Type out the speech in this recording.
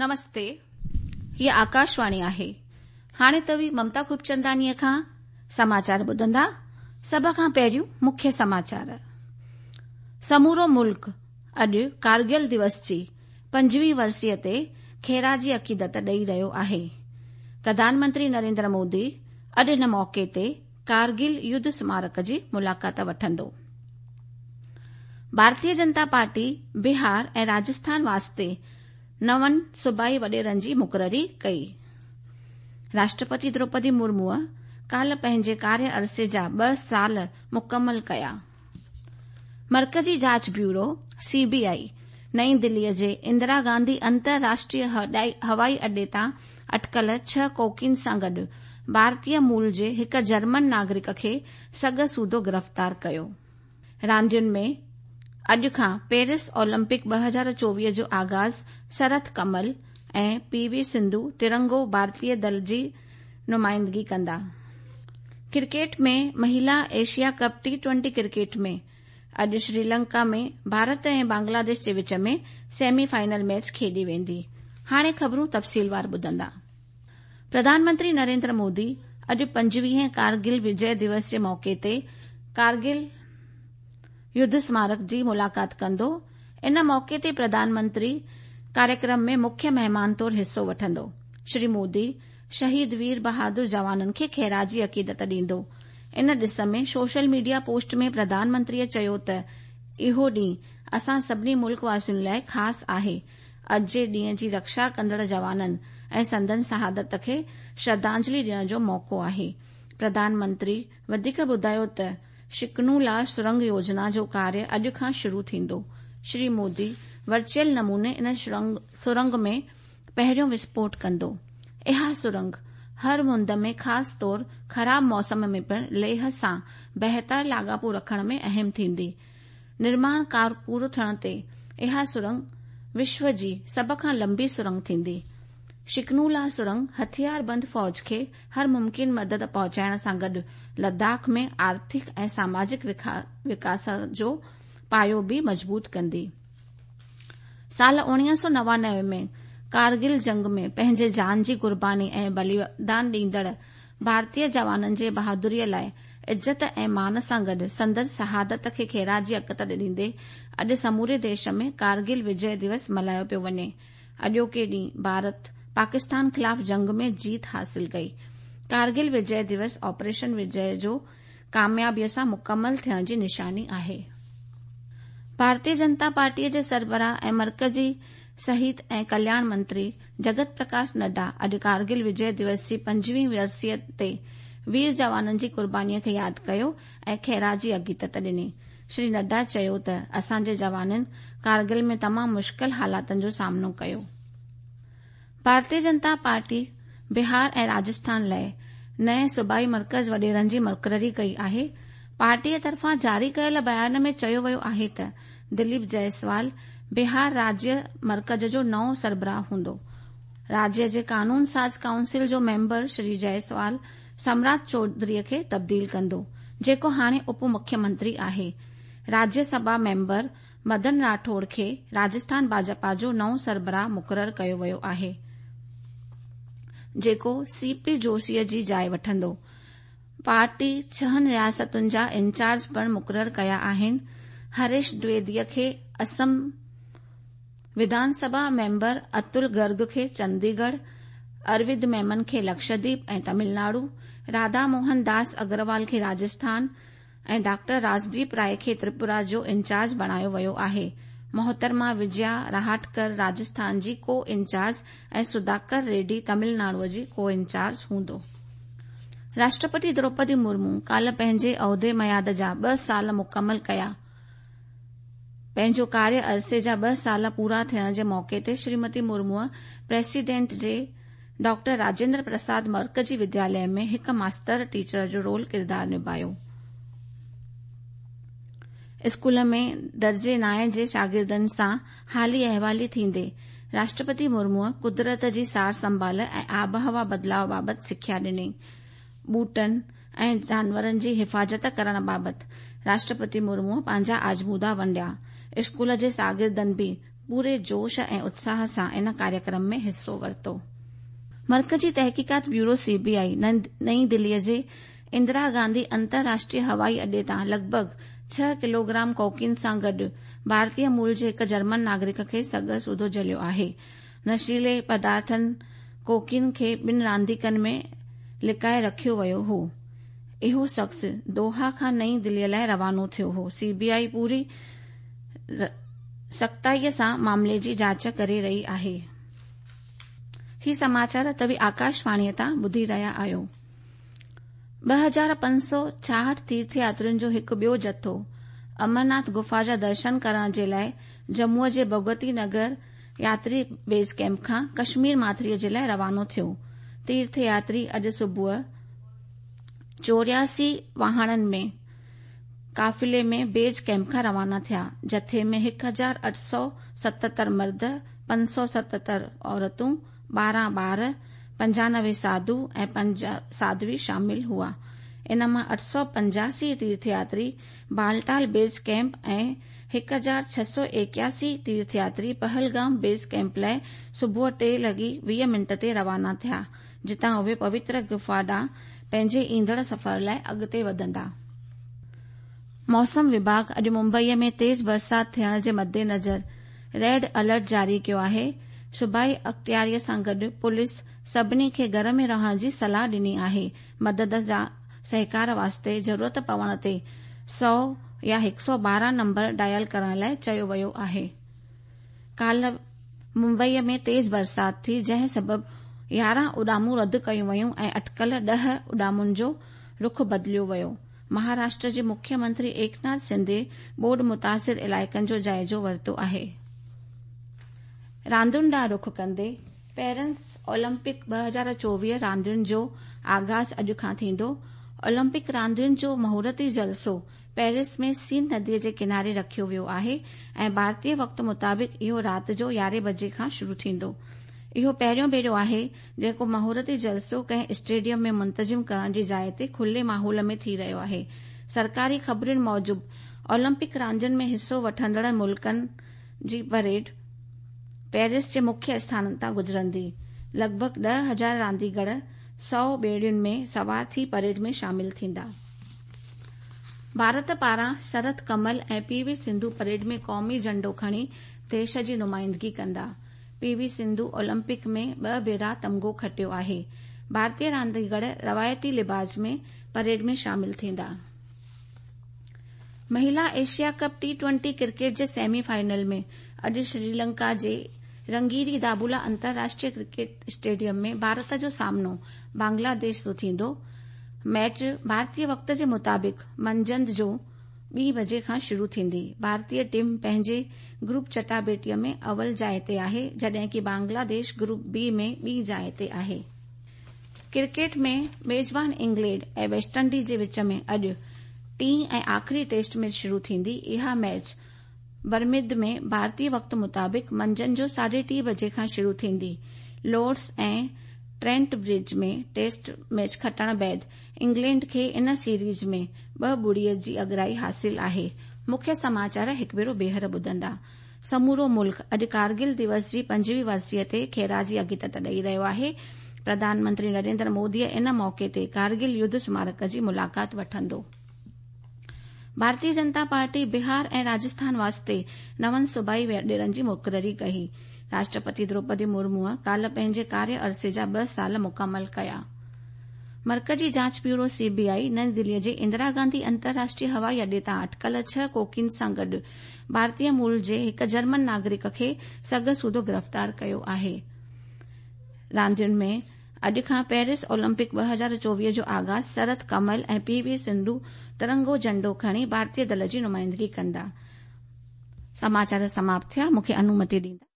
نمستي، هيء آڪاشواڻي آهي. هاڻي توهين ممتا خوبچنداڻيء کان سماچار ٻڌندا. سڀ کان پهريون مکيه سماچار. سمورو ملڪ اڄ ڪارگل دوس جي پنجويهين ورسيء تي خراج عقيدت ڏئي رهيو آهي. پرڌان منتري نريندر مودي اڄ ان موقعي تي ڪارگل يڌ سمارڪ جي ملاقات وٺندو. ڀارتيه جنتا پارٽي بهار ۽ راجسٿان واسطي نون صوبائي وڏيرن جي مقرري ڪئي. راشٽرپتي دروپدي مرموء ڪالهه پنهنجي ڪاريه عرصي جا ٻه سال مڪمل ڪيا. مرڪزي جاچ بيورو، سي بي آء، نئين دليء جي اندرا گانڌي انترراشٽريه هوائي اڏي تان اٽڪل ڇهه ڪوڪين سان گڏ ڀارتيه مول جي هڪ جرمن ناگرڪ کي سڳ سوڌو گرفتار ڪيو. راندين ۾ اڄ کان پيرس اولمپڪ 2024 جو آغاز سرٿ ڪمل ۽ پي وي سنڌو ترنگو ڀارتيه دل جي نمائندگي ڪندا. Cricket ۾ مهيلا Asia cup T twenty cricket ۾ اڄ شريلنڪا ۾ ڀارت ۽ بنگلاديش جي وچ ۾ سيمي فائنل ميچ کيڏي ويندي. هاڻي خبرون تفصيلوار ٻڌندا. پرڌان منتري نريندر مودي اڄ پنجويهين ڪارگل وجي دوس جي موقعي تي ڪارگل يڌ سمارڪ جي ملاقات ڪندو. ان موقعي تي پرڌان منتري ڪاريڪرم ۾ مکيه مهمان طور حصو وٺندو. شري مودي شهيد وير بهادر جوانن کي خراج عقيدت ڏيندو. ان ڏس ۾ سوشل ميڊيا پوسٽ ۾ پرڌان منتريء چيو ته اهو ڏينهن اسان سڀني ملڪ واسين لاء خاص آهي، اڄ جي ڏينهن جي رڪشا ڪندڙ جوانن ۽ سندن شهادت کي شرڌانجلي ڏيڻ جو موقعو آهي. پرڌان منتري وڌيڪ ٻڌايو ته شڪنو لا سرنگ يوجنا جو ڪاريه اڄ کان شروع ٿيندو. شري مودي ورچوئل نموني ان سرنگ ۾ پهريون وسڦوٽ ڪندو. اها سرنگ هر مند ۾ خاص طور خراب موسم ۾ پڻ ليهه سان بهتر لاڳاپو رکڻ ۾ اهم ٿيندي. نرماڻ ڪار پورو ٿيڻ تي اها سرنگ وشو جي سڀ کان لنبي سرنگ ٿيندي. شڪنولا سرنگ هٿياربند فوج کي هر ممڪن مدد پهچائڻ سان گڏ لداخ ۾ آرٿڪ ۽ ساماجڪ وڪاس جو پايو به مضبوط ڪندي. سال 1999 ۾ ڪارگل جنگ ۾ پنهنجي جان جي قرباني ۽ بليدان ڏيندڙ ڀارتيه جوانن جي بهادريء لاء عزت ۽ مان سان گڏ سندن شهادت کي خراج عقيدت ڏيندي اڄ سموري ديش ۾ ڪارگل وجي دوس ملهايو پيو وڃي. اڄوڪي ڏينهن ڀارت پاڪستان خلاف جنگ ۾ جيت حاصل ڪئي. ڪارگل وجي دوس آپريشن وجي جو ڪاميابيء سان مڪمل ٿيڻ جي نشاني آهي. ڀارتيه جنتا پارٽيء جي سربراهه ۽ مرڪزي صحت ۽ ڪلياڻ منتري جگت پرڪاش نڊا اڄ ڪارگل وجي دوس جي پنجويهين ورسيء تي وير جوانن جي قربانيء کي ياد ڪيو ۽ خراج عقيدت ڏني. شري نڊا چيو ته اسان جي جوانن ڪارگل ۾ تمام مشڪل حالاتن جو سامنو ڪيو. ڀارتيه جنتا پارٽي بهار ۽ راجسٿان لاء نئين صوبائي مرڪز وڏيرن جي مقرري ڪئي آهي. پارٽيء طرفان جاري ڪيل بيان ۾ چيو ويو آهي ته دليپ جئسوال بهار راجيه مرڪز جو نئون سربراهه هوندو. راجيه جي قانون ساز ڪائونسل جو ميمبر شري جئسوال سمراٽ چوڌريء کي تبديل ڪندو، جيڪو هاڻي اپ مکيه منتري آهي. راجيه سڀا ميمبر مدن راٺوڙ کي راجسٿان ڀاجپا جو نئون سربراهه مقرر ڪيو ويو آهي، جيڪو سي پي جوشيء جي جاء وٺندو. پارٽي ڇهن رياستن جا انچارج پڻ مقرر ڪيا آهن. هريش دويديء کي اسم وڌان سڀا ميمبر اتل گرگ کي چنديڳڙهه، اروند ميمن کي لڪشديپ ۽ تامل ناڊو، راڌا موهن داس اگروال کي راجسٿان ۽ ڊاڪٽر راجديپ راء کي تريپورا جو انچارج بڻايو ويو آهي. محترمه وجيا رهاٽڪر راجسٿان جي ڪو انچارج ۽ سڌاڪر ريڊي تامل ناڊو جي ڪو انچارج هوندو. راشٽرپتي دروپدي مرمو ڪالهه پنهنجي عهدي ميعاد جا ٻه سال مڪمل ڪيا. پنهنجو ڪاريه عرصي جا ٻه سال پورا ٿيڻ جي موقعي تي شريمتي مرموء پريسيڊنٽ جي ڊاڪٽر راجيندر پرساد مرڪزي ودياليه ۾ هڪ ماستر ٽيچر جو رول ڪردار نڀايو. اسڪول ۾ درجي نائين جي شاگردن سان حالي احوالي ٿيندي راشٽرپتي مرموء قدرت جي سار سنڀال ۽ آبهوا بدلاء بابت سکيا ڏني. ٻوٽن ۽ جانورن جي حفاظت ڪرڻ بابت راشٽرپتي مرموء پنهنجا آزمودا ونڊيا. اسڪول جي شاگردن به پوري جوش ۽ اتساهه سان ان ڪاريڪرم ۾ حصو ورتو. مرڪزي تحقيقات بيورو سي بي آء نئين دلي جي اندرا گانڌي انترراشٽريه هوائي اڏي تان لڳ ڀڳ ڇهه ڪلوگرام ڪوڪين سان گڏ ڀارتي مول جي هڪ جرمن ناگرڪ کي سڳ سوڌو جهليو آهي. نشيلي پدارٿن ڪوڪين کي ٻن رانديڪن ۾ لڪائي رکيو ويو هو. اهو شخص دوحا کان نئين دلي لاء روانو ٿيو هو. سي بي آء پوري سختائي سان معاملي جي جاچ ڪري رهي آهي. هي سماچار توهين آڪاشواڻيء تان ٻڌي رهيا آهيو. 2566 تيرٿ ياترين جو هڪ ٻيو جٿو امرناٿ گفا جا درشن ڪرڻ جي لاء ڄمونء جي ڀڳوتي نگر ياتري بيس ڪئمپ کان ڪشمير ماٿريء جي لاء روانو ٿيو. تيرٿ ياتري اڄ صبح 84 واهڻن ۾ قافلي ۾ بيس ڪئمپ کان روانا ٿيا. جٿي ۾ 1877 مرد، 577 عورتون، 12 ٻار، 95 ساڌو ۽ 5 ساڌوي شامل هئا. ان مان 885 تيرٿ ياتري بالٽال بيس ڪئمپ ۽ 1681 تيرٿ ياتري پهلگام بيس ڪئمپ لاء صبح 3:20 تي روانا ٿيا، جتان اهي پوتر گفا ڏانهن پنهنجي ايندڙ سفر لاء اڳتي وڌندا. موسم وڀاڳ اڄ ممبئي ۾ تيز برسات ٿيڻ جي مدنظر ريڊ الرٽ جاري ڪيو آهي. صوبائي اختياري سان گڏ پوليس سڀني کي گهر ۾ رهڻ جي صلاح ڏني آهي. مدد جا سهڪار واسطي ضرورت پوڻ تي 100 يا 112 نمبر ڊائل ڪرڻ لاء چيو ويو آهي. ڪالهه ممبئي ۾ تيز برسات ٿي جنهن سبب 11 اڏامون رد ڪيون ويون ۽ اٽڪل 10 اڏامن جو رخ بدليو ويو. مهاراشٽر جي مکيه منتري ايڪناٿ شندي ٻوڏ متاثر علائقن جو جائزو ورتو آهي. راندين ڏانهن رخ ڪندي پيرس اولمپڪ 2024 راندين جو آغاز اڄ کان ٿيندو. اولمپڪ راندين جو مهورتي جلسو پيرس ۾ سين ندي جي ڪناري رکيو ويو آهي ۽ ڀارتي وقت مطابق اهو رات جو 11 بجي کان شروع ٿيندو. اهو پهريون ڀيرو آهي جيڪو مهورتي جلسو ڪنهن اسٽيڊيم ۾ منتظم ڪرڻ جي جاء تي کلي ماحول ۾ ٿي رهيو آهي. سرڪاري خبرن موجب اولمپڪ راندين ۾ حصو وٺندڙ ملڪن جي پريڊ پيرس جي مکيه اسٿانن تان گذرندي. لڳ ڀڳ 10,000 رانديگر 100 ٻيڙين ۾ سوار ٿي پريڊ ۾ شامل ٿيندا. ڀارت پاران شرت ڪمل ۽ پي وي سنڌو پريڊ ۾ قومي جهنڊو کڻي ديش جي نمائندگي ڪندا. پي وي سنڌو اولمپڪ ۾ ٻه ڀيرا تمغو کٽيو آهي. ڀارتي رانديگر روايتي لباس ۾ پريڊ ۾ شامل ٿيندا. مهلا ايشيا ڪپ ٽي ٽوئنٽي ڪرڪيٽ جي سيمي فائنل ۾ اڄ سريلنڪا جي رنگيري دابولا انترراشٽريه ڪرڪيٽ اسٽيڊيم ۾ ڀارت جو سامنو بنگلاديش سان ٿيندو. ميچ ڀارتي وقت جي مطابق منجهند جو 2 بجي کان شروع ٿيندي. ڀارتي ٽيم پنهنجي گروپ چٽاڀيٽي ۾ اول جاء تي آهي جڏهن ڪه بنگلاديش گروپ بي ۾ ٻي جاء تي آهي. ڪرڪيٽ ۾ ميزبان انگلينڊ ۽ ويسٽ انڊيز جي وچ ۾ اڄ ٽين ۽ آخري ٽيسٽ ميچ شروع ٿيندي. اها ميچ برمنگهم ۾ ڀارتي وقت مطابق منجهند جو 3:30 بجي کان شروع ٿيندي. لارڊز ۽ ٽرينٽ برج ۾ ٽيسٽ ميچ کٽڻ بعد انگلينڊ کي ان سيريز ۾ 2-0 جي اڳرائي حاصل آهي. مکيه سماچار هڪ ڀيرو ٻيهر ٻڌندا. سمورو ملڪ اڄ ڪارگل دوس جي 25 ورسيء تي خراج عقيدت ڏئي رهيو آهي. پرڌان منتري نريندر مودي ان موقعي تي ڪارگل يڌ سمارڪ جي ملاقات وٺندو. ڀارتي جنتا پارٽي بهار ۽ راجسٿان واسطي نون صوبائي وڏيرن جي مقرري ڪئي. راشٽرپتي دروپدي مرموء ڪالهه پنهنجي ڪاريه عرصي جا 2 سال مڪمل ڪيا. مرڪزي جاچ بيورو سي بي آء نئين دلي جي اندرا گانڌي انترراشٽريه هوائي اڏي تان اٽڪل 6 ڪوڪين سان گڏ ڀارتي مول جي هڪ جرمن ناگرڪ کي سڳ سوڌو گرفتار ڪيو آهي. راندين ۾ اڄ کان پيرس اولمپڪ 2024 جو آغاز شرت ڪمل ۽ پي وي سنڌو ترنگو جهنڊو کڻي ڀارتي دل جي نمائندگي ڪندا. سماچار سماپت ٿيا. مون کي انومتي ڏيندا.